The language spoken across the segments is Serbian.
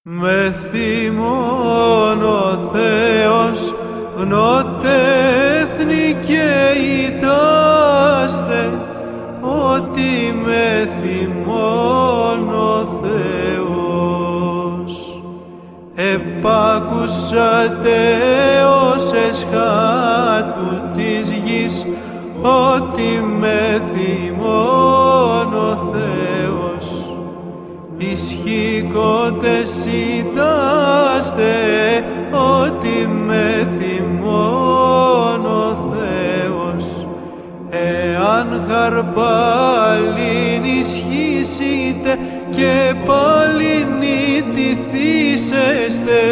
Με θυμών ο Θεός γνώτε έθνη και ητάστε, ότι με θυμών ο Θεός. Επάκουσατε ως εσχάτου της γης, ότι με θυμών ο Θεός. Ισχύκοτες ητάστε, ότι με θυμών ο Θεός. Εάν χαρπάλιν ισχύσετε και πάλιν ητηθήσεστε,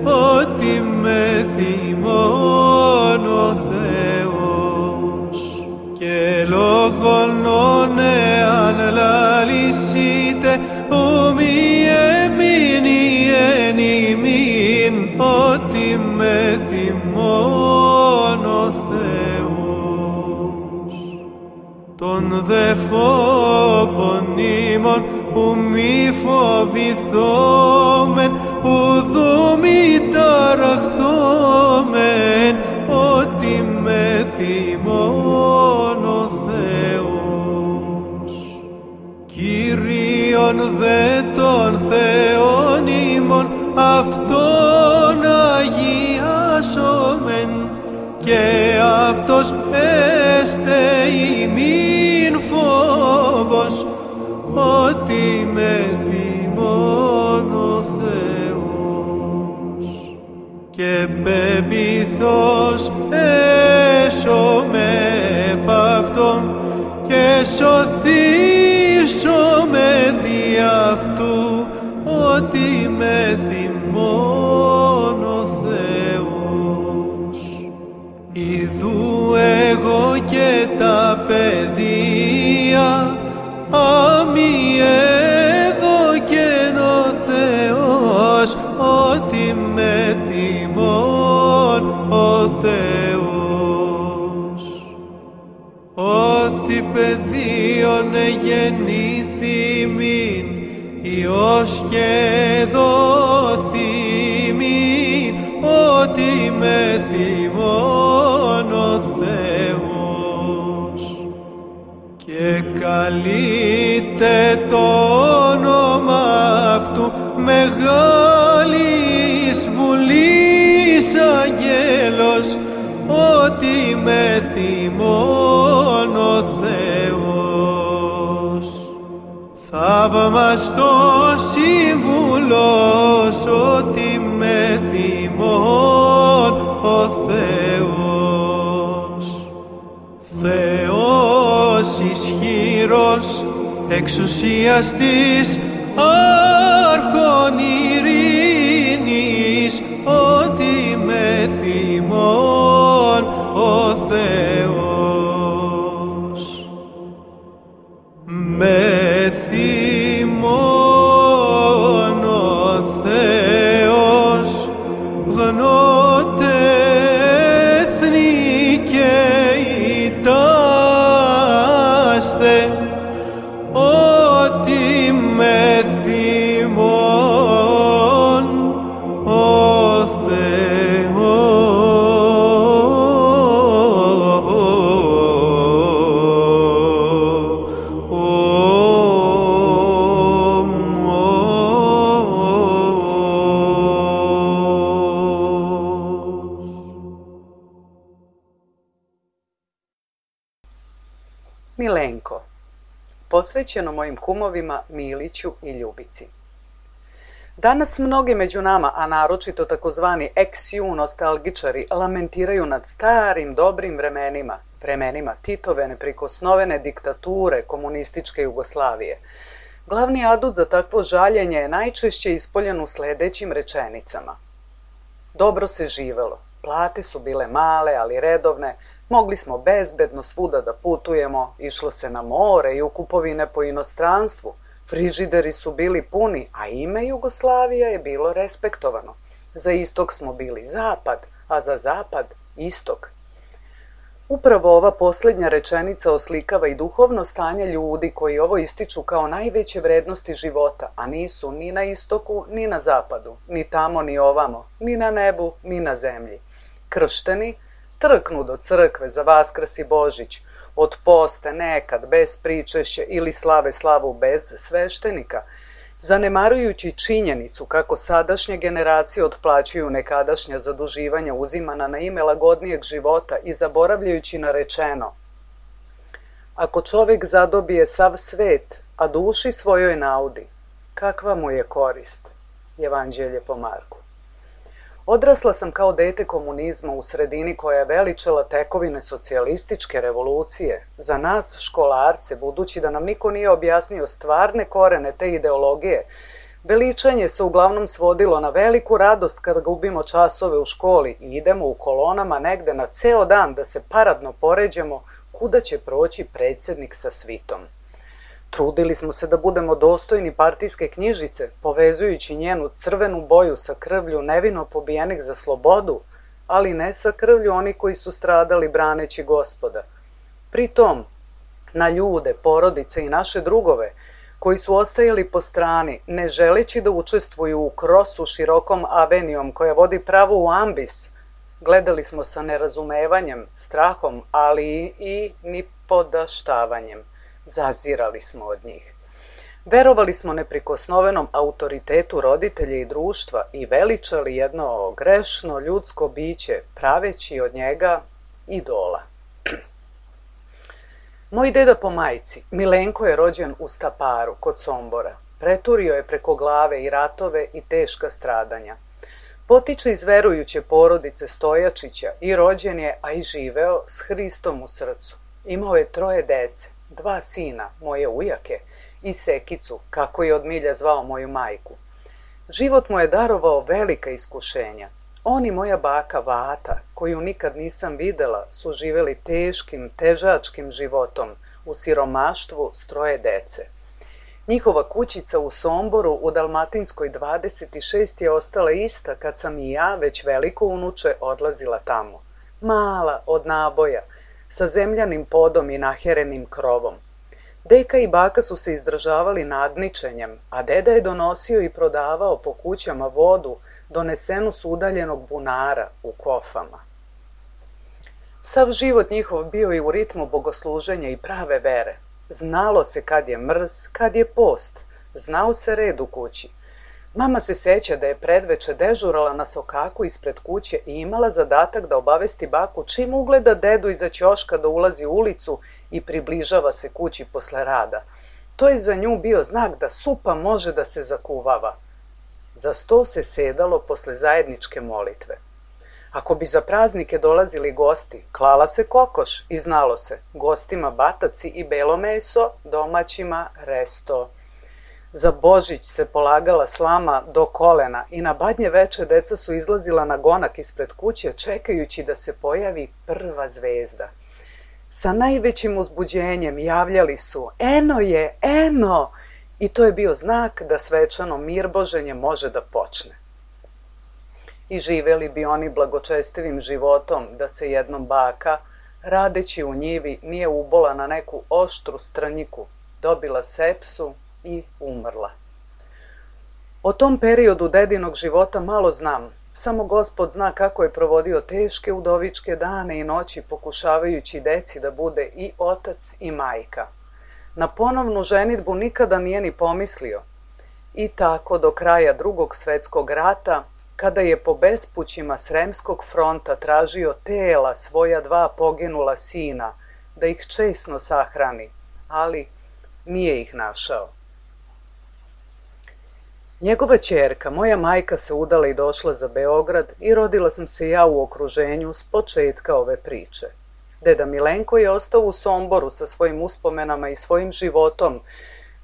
ότι με θυμών ο Θεός. Και λόγον εάν λαλήσετε, μη έμεινει εν ημίν, ότι με θυμών ο Θεός. Τον δε φόβον ημών που μη φοβηθόμεν, ουδού μη ταραχθόμεν, ότι με θυμών ο Θεός. Κύριον δε τον Θεόν ημών, αυτόν αγιάσομεν, και αυτός έστε ημίν φόβος, ότι με θυμών ο Θεός. Και πεποιθώς έσωμε επ' αυτόν, και σωθήσωμε δι' αυτού, ότι με θυμών ο Θεός. Ιδού εγώ και τα παιδεία, αμοι έδωκεν ο Θεός, ότι με θυμών ο Θεός. Ότι παιδίον γεννήθη μην, Υιός και δόθη μην, ότι με θυμών ο Θεός. Και καλείται το όνομα αυτού μεγάλης βουλής αγγέλος, ότι με θυμών ο Θεός. Θαυμαστός σύμβουλος, ότι με θυμών ο Θεός. Θεός ισχυρός, εξουσιαστής, άρχον ειρήνης, ότι με θυμών ο Θεός. Με θυμών ο Θεός, γνώτε έθνη και ητάστε, ότι με θυμών ο Θεός. Milenko, posvećeno mojim kumovima Miliću i Ljubici. Danas mnogi među nama, a naročito takozvani ex-ju nostalgičari, lamentiraju nad starim dobrim vremenima, vremenima Titove neprikosnovene diktature komunističke Jugoslavije. Glavni adut za takvo žaljenje je najčešće ispoljen u sledećim rečenicama. Dobro se živelo, plate su bile male, ali redovne, mogli smo bezbedno svuda da putujemo, išlo se na more i u kupovine po inostranstvu, frižideri su bili puni, a ime Jugoslavija je bilo respektovano. Za istok smo bili zapad, a za zapad istok. Upravo ova posljednja rečenica oslikava i duhovno stanje ljudi koji ovo ističu kao najveće vrednosti života, a nisu ni na istoku, ni na zapadu, ni tamo, ni ovamo, ni na nebu, ni na zemlji. Kršteni trknu do crkve za Vaskrs i Božić, od poste nekad bez pričešća ili slave slavu bez sveštenika, zanemarujući činjenicu kako sadašnje generacije otplaćuju nekadašnja zaduživanja uzimana na ime lagodnijeg života i zaboravljajući na rečeno: ako čovjek zadobije sav svet, a duši svojoj naudi, kakva mu je korist? Evanđelje po Marku. Odrasla sam kao dete komunizma u sredini koja je veličala tekovine socijalističke revolucije. Za nas, školarce, budući da nam niko nije objasnio stvarne korene te ideologije, veličanje se uglavnom svodilo na veliku radost kada gubimo časove u školi i idemo u kolonama negde na ceo dan da se paradno poređamo kuda će proći predsjednik sa svitom. Trudili smo se da budemo dostojni partijske knjižice, povezujući njenu crvenu boju sa krvlju nevino pobijenih za slobodu, ali ne sa krvlju onih koji su stradali braneći Gospoda. Pritom, na ljude, porodice i naše drugove, koji su ostajali po strani, ne želeći da učestvuju u krosu širokom avenijom koja vodi pravo u ambis, gledali smo sa nerazumevanjem, strahom, ali i nipodaštavanjem. Zazirali smo od njih. Verovali smo neprikosnovenom autoritetu roditelja i društva i veličali jedno grešno ljudsko biće, praveći od njega idola. Moj deda po majci, Milenko, je rođen u Staparu, kod Sombora. Preturio je preko glave i ratove i teška stradanja. Potiče iz verujuće porodice Stojačića i rođen je, a i živeo, s Hristom u srcu. Imao je 3 dece, 2 sina, moje ujake, i Sekicu, kako je od milja zvao moju majku. Život mu je darovao velika iskušenja. On i moja baka Vata, koju nikad nisam videla, su živeli teškim, težačkim životom, u siromaštvu s 3 dece. Njihova kućica u Somboru u Dalmatinskoj 26 je ostala ista kad sam i ja, već veliko unuče, odlazila tamo. Mala, od naboja, sa zemljanim podom i naherenim krovom. Deka i baka su se izdržavali nadničenjem, a deda je donosio i prodavao po kućama vodu donesenu s udaljenog bunara u kofama. Sav život njihov bio je u ritmu bogosluženja i prave vere. Znalo se kad je mrz, kad je post. Znao se red u kući. Mama se seća da je predveče dežurala na sokaku ispred kuće i imala zadatak da obavesti baku čim ugleda dedu iza ćoška da ulazi u ulicu i približava se kući posle rada. To je za nju bio znak da supa može da se zakuvava. Za sto se sedalo posle zajedničke molitve. Ako bi za praznike dolazili gosti, klala se kokoš i znalo se, gostima bataci i belo meso, domaćima resto. Za Božić se polagala slama do kolena i na badnje veče deca su izlazila na gonak ispred kuće čekajući da se pojavi prva zvezda. Sa najvećim uzbuđenjem javljali su: eno je, eno! I to je bio znak da svečano mirboženje može da počne. I živeli bi oni blagočestivim životom da se jednom baka, radeći u njivi, nije ubola na neku oštru strnjiku, dobila sepsu i umrla. O tom periodu dedinog života malo znam, samo Gospod zna kako je provodio teške udovičke dane i noći pokušavajući deci da bude i otac i majka. Na ponovnu ženidbu nikada nije ni pomislio. I tako do kraja Drugog svetskog rata, kada je po bespućima Sremskog fronta tražio tela svoja 2 poginula sina, da ih česno sahrani, ali nije ih našao. Njegova ćerka, moja majka, se udala i došla za Beograd i rodila sam se ja u okruženju s početka ove priče. Deda Milenko je ostao u Somboru sa svojim uspomenama i svojim životom,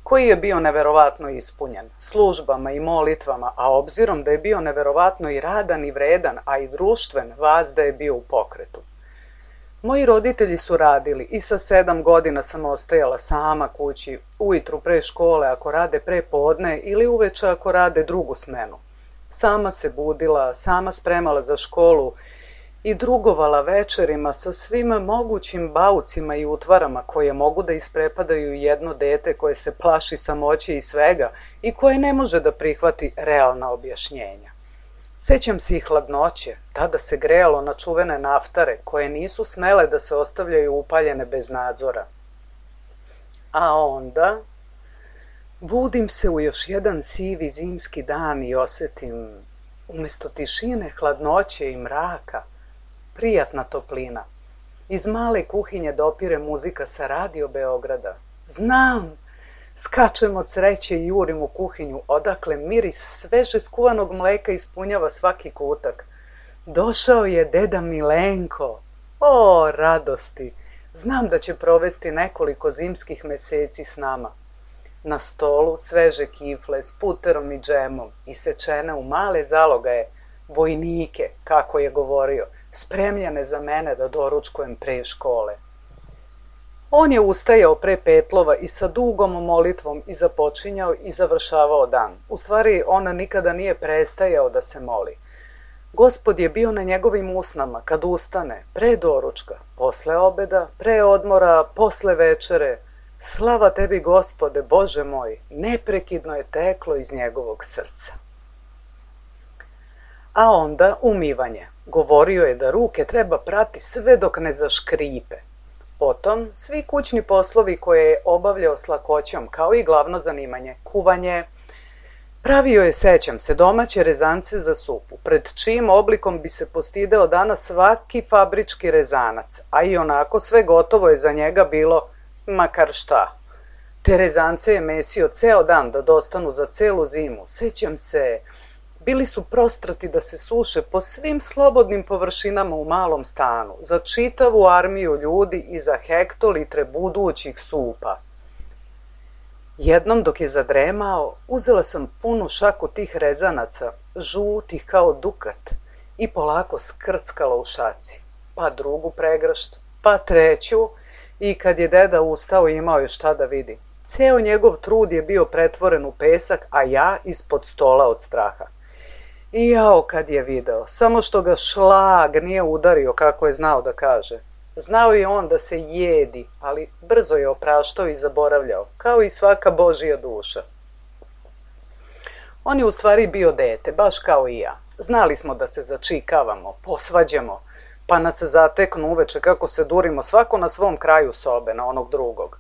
koji je bio neverovatno ispunjen, službama i molitvama, a obzirom da je bio neverovatno i radan i vredan, a i društven, vazda je bio u pokretu. Moji roditelji su radili i sa 7 godina sam ostajala sama kući, ujutru pre škole ako rade pre podne ili uveče ako rade drugu smenu. Sama se budila, sama spremala za školu i drugovala večerima sa svim mogućim baucima i utvarama koje mogu da isprepadaju jedno dete koje se plaši samoće i svega i koje ne može da prihvati realna objašnjenja. Sećam se i hladnoće, tada se grejalo na čuvene naftare koje nisu smele da se ostavljaju upaljene bez nadzora. A onda budim se u još jedan sivi zimski dan i osetim, umjesto tišine, hladnoće i mraka, prijatna toplina. Iz male kuhinje dopire muzika sa radio Beograda. Znam! Skačem od sreće i jurim u kuhinju, odakle miris sveže skuvanog mleka ispunjava svaki kutak. Došao je deda Milenko. O, radosti! Znam da će provesti nekoliko zimskih meseci s nama. Na stolu sveže kifle s puterom i džemom, isečene u male zalogaje, vojnike, kako je govorio, spremljene za mene da doručkujem pre škole. On je ustajao pre petlova i sa dugom molitvom i započinjao i završavao dan. U stvari, on nikada nije prestajao da se moli. Gospod je bio na njegovim usnama kad ustane, pre doručka, posle obeda, pre odmora, posle večere. Slava tebi, Gospode, Bože moj, neprekidno je teklo iz njegovog srca. A onda umivanje. Govorio je da ruke treba prati sve dok ne zaškripe. Potom, svi kućni poslovi koje je obavljao s lakoćom, kao i glavno zanimanje, kuvanje. Pravio je, sećam se, domaće rezance za supu, pred čijim oblikom bi se postideo danas svaki fabrički rezanac, a i onako sve gotovo je za njega bilo makar šta. Te rezance je mesio ceo dan da dostanu za celu zimu. Sećam se, bili su prostrati da se suše po svim slobodnim površinama u malom stanu, za čitavu armiju ljudi i za hektolitre budućih supa. Jednom dok je zadremao, uzela sam punu šaku tih rezanaca, žutih kao dukat, i polako skrckala u šaci, pa drugu pregršt, pa treću, i kad je deda ustao imao je šta da vidi. Ceo njegov trud je bio pretvoren u pesak, a ja ispod stola od straha. I jao kad je video, samo što ga šlag nije udario kako je znao da kaže. Znao je on da se jedi, ali brzo je opraštao i zaboravljao, kao i svaka Božija duša. On je u stvari bio dete, baš kao i ja. Znali smo da se začikavamo, posvađamo, pa nas zateknu uveče kako se durimo svako na svom kraju sobe, na onog drugog.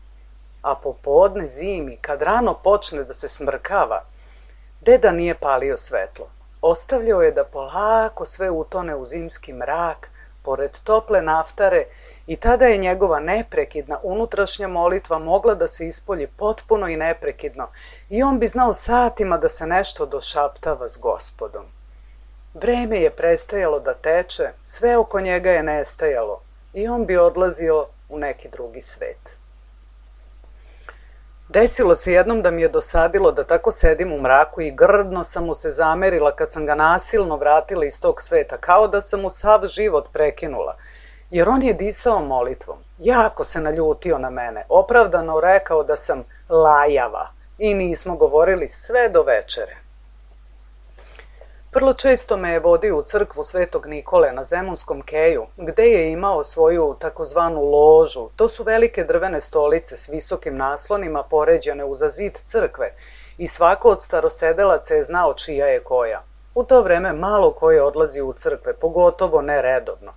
A popodne zimi, kad rano počne da se smrkava, deda nije palio svetlo. Ostavljao je da polako sve utone u zimski mrak, pored tople naftare, i tada je njegova neprekidna unutrašnja molitva mogla da se ispolji potpuno i neprekidno i on bi znao satima da se nešto došaptava s Gospodom. Vreme je prestajalo da teče, sve oko njega je nestajalo i on bi odlazio u neki drugi svet. Desilo se jednom da mi je dosadilo da tako sedim u mraku i grdno sam mu se zamerila kad sam ga nasilno vratila iz tog sveta, kao da sam mu sav život prekinula, jer on je disao molitvom. Jako se naljutio na mene, opravdano rekao da sam lajava i nismo govorili sve do večere. Vrlo često me je vodio u crkvu Svetog Nikole na Zemunskom keju, gde je imao svoju takozvanu ložu. To su velike drvene stolice s visokim naslonima poređane uza zid crkve i svako od starosedelaca je znao čija je koja. U to vreme malo ko je odlazio u crkve, pogotovo ne redovno.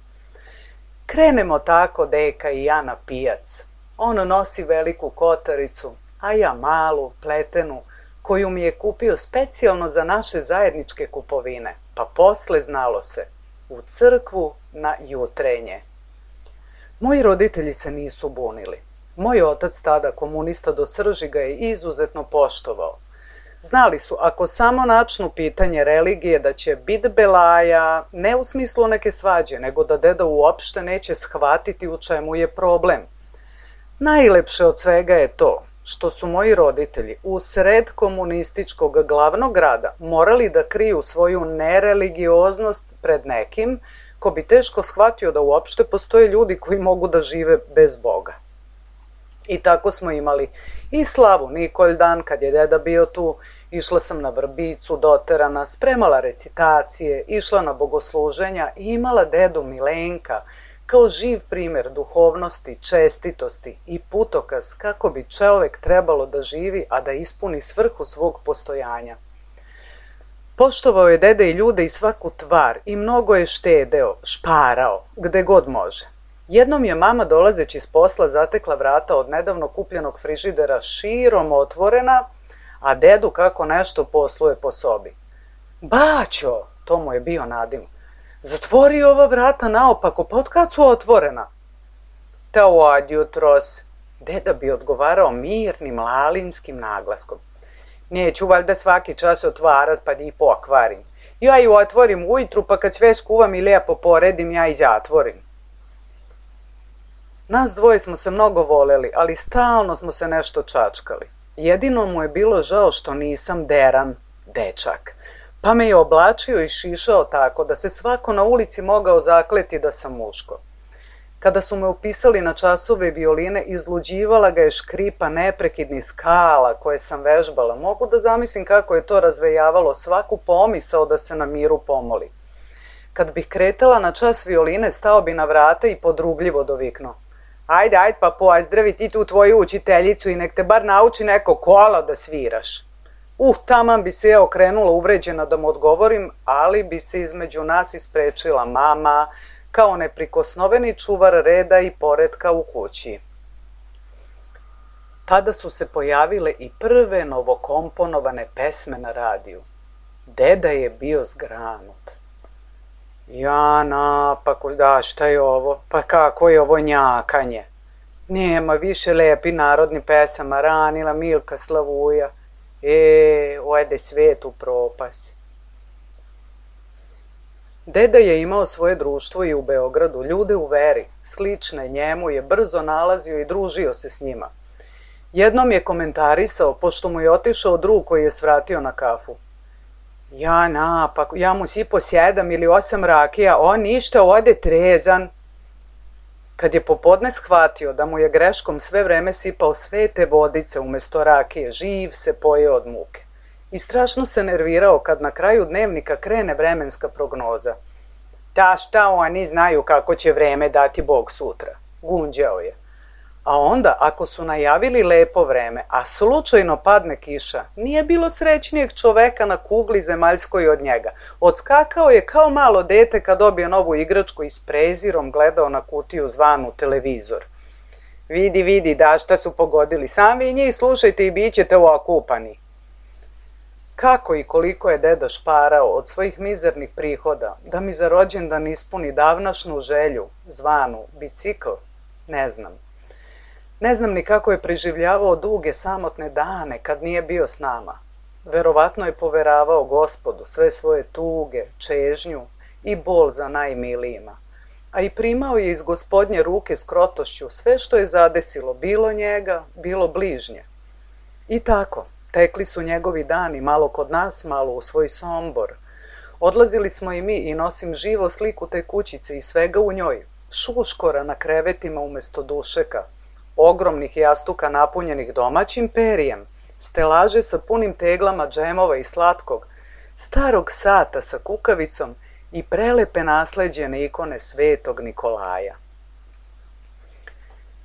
Krenemo tako deka i ja na pijac. On nosi veliku kotaricu, a ja malu, pletenu, koju mi je kupio specijalno za naše zajedničke kupovine, pa posle znalo se, u crkvu na jutrenje. Moji roditelji se nisu bunili. Moj otac, tada komunista do srži, ga je izuzetno poštovao. Znali su, ako samo načnu pitanje religije, da će bit belaja, ne u smislu neke svađe, nego da deda uopšte neće shvatiti u čemu je problem. Najlepše od svega je to što su moji roditelji u sred komunističkog glavnog grada morali da kriju svoju nereligioznost pred nekim ko bi teško shvatio da uopšte postoje ljudi koji mogu da žive bez Boga. I tako smo imali i slavu Nikolj dan kad je deda bio tu, Išla sam na vrbicu, doterana, spremala recitacije, išla na bogosluženja i imala dedu Milenka kao živ primjer duhovnosti, čestitosti i putokaz kako bi čovjek trebalo da živi, a da ispuni svrhu svog postojanja. Poštovao je deda i ljude i svaku tvar i mnogo je štedeo, šparao, gde god može. Jednom je mama dolazeći s posla zatekla vrata od nedavno kupljenog frižidera širom otvorena, a dedu kako nešto posluje po sobi. Baćo, to mu je bio nadim, zatvori ova vrata naopako, pa otkad su otvorena? Ta od jutros, deda bi odgovarao mirnim lalinskim naglaskom. Neću valjda svaki čas otvarat pa da ih pokvarim. Ja ju otvorim ujutru pa kad sve skuvam i lijepo poredim ja i zatvorim. Nas dvoje smo se mnogo voleli, ali stalno smo se nešto čačkali. Jedino mu je bilo žao što nisam deran dečak, pa me je oblačio i šišao tako da se svako na ulici mogao zakleti da sam muško. Kada su me upisali na časove violine, izluđivala ga je škripa neprekidnih skala koje sam vežbala. Mogu da zamislim kako je to razvejavalo svaku pomisao da se na miru pomoli. Kad bih kretala na čas violine, stao bi na vrata i podrugljivo doviknuo. Ajde, pa pozdravi ti tu tvoju učiteljicu i nek te bar nauči neko kolo da sviraš. Taman bi se ja okrenula uvređena da mu odgovorim, ali bi se između nas isprečila mama, kao neprikosnoveni čuvar reda i poretka u kući. Tada su se pojavile i prve novokomponovane pesme na radiju. Deda je bio zgranut. Jana, pa šta je ovo? Pa kako je ovo njakanje? Nema više lepi narodni pesama, ranila Milka Slavuja. Ode svet u propast. Deda je imao svoje društvo i u Beogradu, ljude u veri, slične njemu je brzo nalazio i družio se s njima. Jednom je komentarisao, pošto mu je otišao drug koji je svratio na kafu. Jana, pa ja mu sipo 7 ili 8 rakija, on ništa, ode trezan. Kad je popodne shvatio da mu je greškom sve vreme sipao svete vodice umjesto rakije, živ se pojeo od muke. I strašno se nervirao kad na kraju dnevnika krene vremenska prognoza. Šta oni znaju kako će vreme dati Bog sutra, gunđao je. A onda, ako su najavili lepo vreme, a slučajno padne kiša, nije bilo srećnijeg čoveka na kugli zemaljskoj od njega. Odskakao je kao malo dete kad dobije novu igračku i s prezirom gledao na kutiju zvanu televizor. Vidi, šta su pogodili, sam vi njih slušajte i bit ćete okupani. Kako i koliko je deda šparao od svojih mizernih prihoda da mi za rođendan ispuni davnašnu želju, zvanu bicikl, ne znam. Ne znam ni kako je preživljavao duge samotne dane kad nije bio s nama. Verovatno je poveravao Gospodu sve svoje tuge, čežnju i bol za najmilijima. A i primao je iz Gospodnje ruke s krotošću sve što je zadesilo, bilo njega, bilo bližnje. I tako, tekli su njegovi dani, malo kod nas, malo u svoj Sombor. Odlazili smo i mi i nosim živo sliku te kućice i svega u njoj, šuškora na krevetima umjesto dušeka, ogromnih jastuka napunjenih domaćim perijem, stelaže sa punim teglama džemova i slatkog, starog sata sa kukavicom i prelepe nasleđene ikone svetog Nikolaja.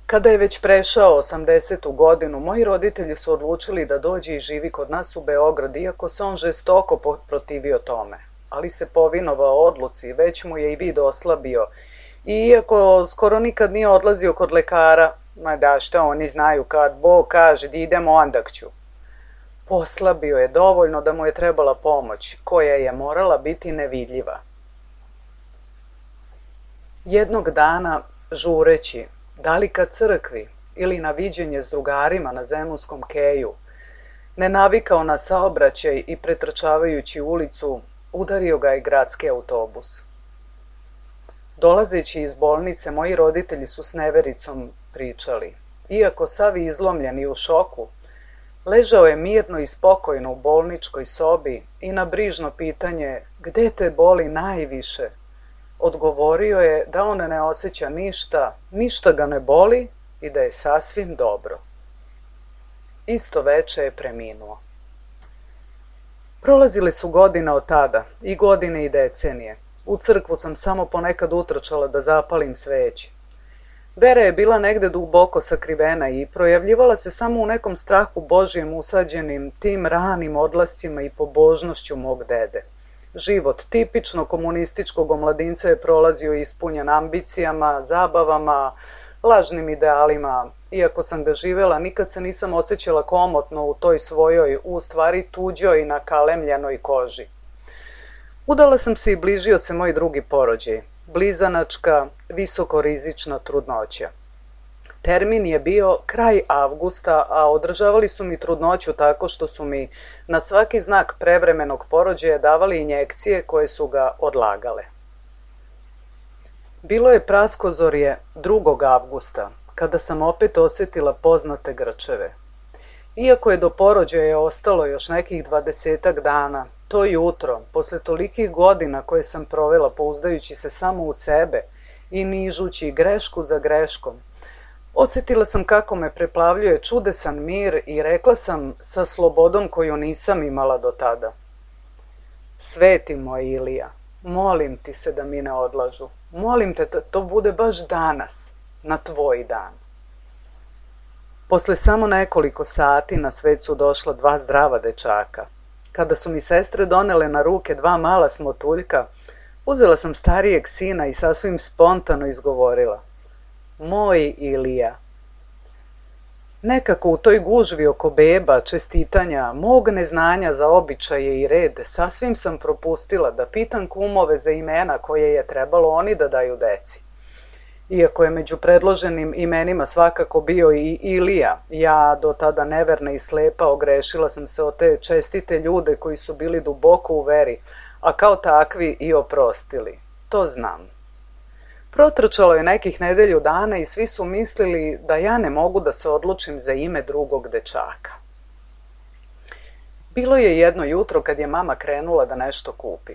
Kada je već prešao 80. godinu, moji roditelji su odlučili da dođe i živi kod nas u Beograd, iako se on žestoko protivio tome. Ali se povinovao odluci, već mu je i vid oslabio. I iako skoro nikad nije odlazio kod lekara, šta oni znaju, kad Bog kaže da idemo onda ću. Poslabio je dovoljno da mu je trebala pomoć, koja je morala biti nevidljiva. Jednog dana, žureći, da li ka crkvi ili na viđenje s drugarima na Zemunskom keju, nenavikao na saobraćaj i pretrčavajući ulicu, udario ga je gradski autobus. Dolazeći iz bolnice, moji roditelji su s nevericom pričali. Iako sav izlomljen i u šoku, ležao je mirno i spokojno u bolničkoj sobi i na brižno pitanje gde te boli najviše, odgovorio je da on ne osjeća ništa ga ne boli i da je sasvim dobro. Isto veče je preminuo. Prolazile su godine od tada, i godine i decenije. U crkvu sam samo ponekad utrčala da zapalim sveće. Vera je bila negde duboko sakrivena i projavljivala se samo u nekom strahu Božjem usađenim tim ranim odlascima i pobožnošću mog dede. Život tipično komunističkog omladinca je prolazio ispunjen ambicijama, zabavama, lažnim idealima. Iako sam ga živela, nikad se nisam osjećala komotno u toj svojoj, u stvari tuđoj nakalemljenoj koži. Udala sam se i bližio se moj drugi porođaj, blizanačka, visokorizična trudnoća. Termin je bio kraj avgusta, a održavali su mi trudnoću tako što su mi na svaki znak prevremenog porođaja davali injekcije koje su ga odlagale. Bilo je praskozorje 2. avgusta, kada sam opet osjetila poznate grčeve. Iako je do porođaja ostalo još nekih 20 dana, to jutro, posle tolikih godina koje sam provela pouzdajući se samo u sebe i nižući grešku za greškom, osjetila sam kako me preplavljuje čudesan mir i rekla sam sa slobodom koju nisam imala do tada: Sveti moj Ilija, molim ti se da mi ne odlažu. Molim te da to bude baš danas, na tvoj dan. Posle samo nekoliko sati na svet su došla 2 zdrava dečaka. Kada su mi sestre donele na ruke 2 mala smotuljka, uzela sam starijeg sina i sasvim spontano izgovorila: Moj Ilija. Nekako u toj gužvi oko beba, čestitanja, mog neznanja za običaje i red, sasvim sam propustila da pitam kumove za imena koje je trebalo oni da daju deci. Iako je među predloženim imenima svakako bio i Ilija, ja, do tada neverna i slepa, ogrešila sam se o te čestite ljude koji su bili duboko u veri, a kao takvi i oprostili. To znam. Protrčalo je nekih nedelju dana i svi su mislili da ja ne mogu da se odlučim za ime drugog dečaka. Bilo je jedno jutro kad je mama krenula da nešto kupi.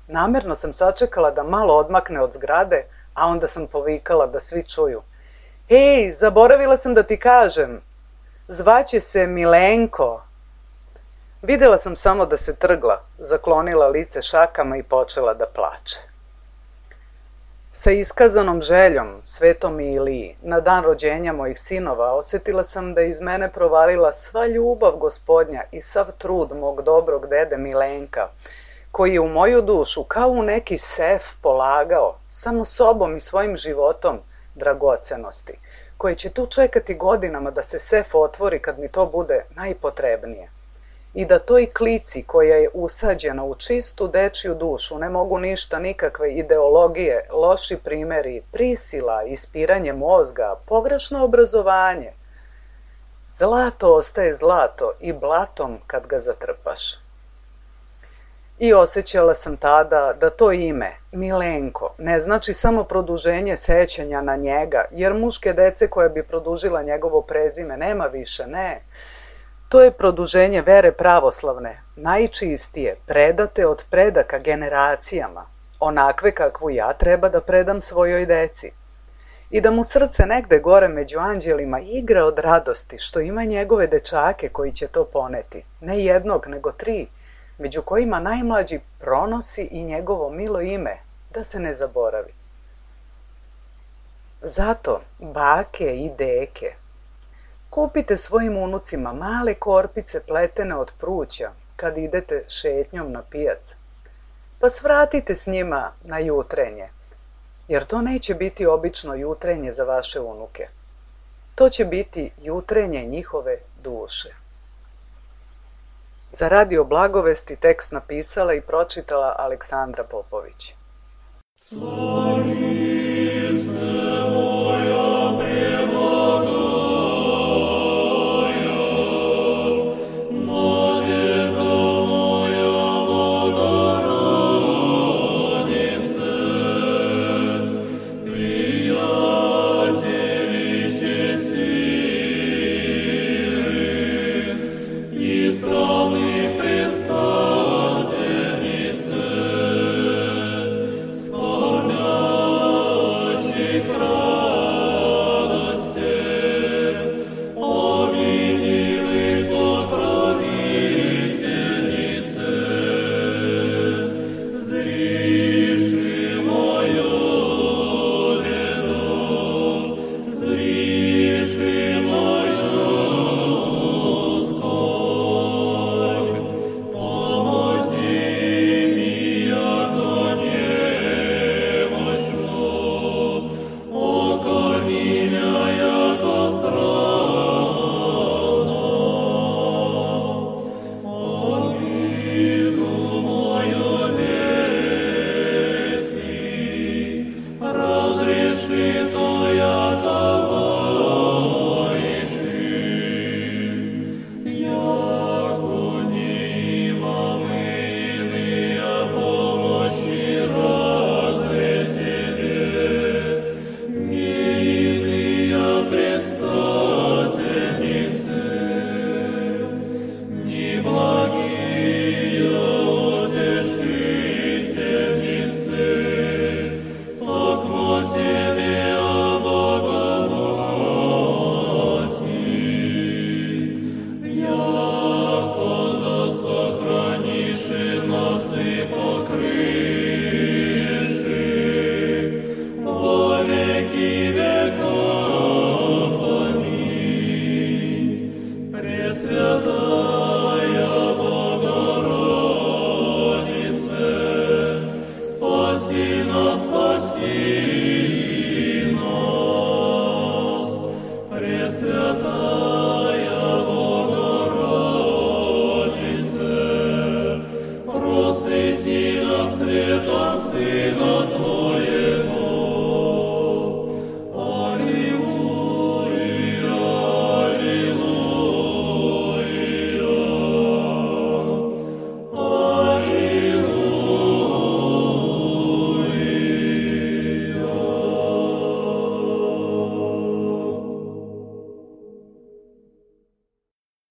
Namerno sam sačekala da malo odmakne od zgrade, a onda sam povikala da svi čuju: Ej, zaboravila sam da ti kažem, zvaće se Milenko. Videla sam samo da se trgla, zaklonila lice šakama i počela da plače. Sa iskazanom željom, Svetom Iliji, na dan rođenja mojih sinova, osjetila sam da iz mene provalila sva ljubav Gospodnja i sav trud mog dobrog dede Milenka, koji je u moju dušu kao u neki sef polagao, samo sobom i svojim životom, dragocenosti, koje će tu čekati godinama da se sef otvori kad mi to bude najpotrebnije. I da toj klici koja je usađena u čistu dečju dušu ne mogu ništa, nikakve ideologije, loši primeri, prisila, ispiranje mozga, pogrešno obrazovanje. Zlato ostaje zlato i blatom kad ga zatrpaš. I osjećala sam tada da to ime, Milenko, ne znači samo produženje sećanja na njega, jer muške dece koja bi produžila njegovo prezime nema više, ne. To je produženje vere pravoslavne, najčistije, predate od predaka generacijama, onakve kakvu ja treba da predam svojoj deci. I da mu srce negde gore među anđelima igra od radosti što ima njegove dečake koji će to poneti, ne jednog nego 3, među kojima najmlađi pronosi i njegovo milo ime, da se ne zaboravi. Zato, bake i deke, kupite svojim unucima male korpice pletene od pruća kad idete šetnjom na pijac, pa svratite s njima na jutrenje, jer to neće biti obično jutrenje za vaše unuke. To će biti jutrenje njihove duše. Za Radio Blagovesti tekst napisala i pročitala Aleksandra Popović. Slavi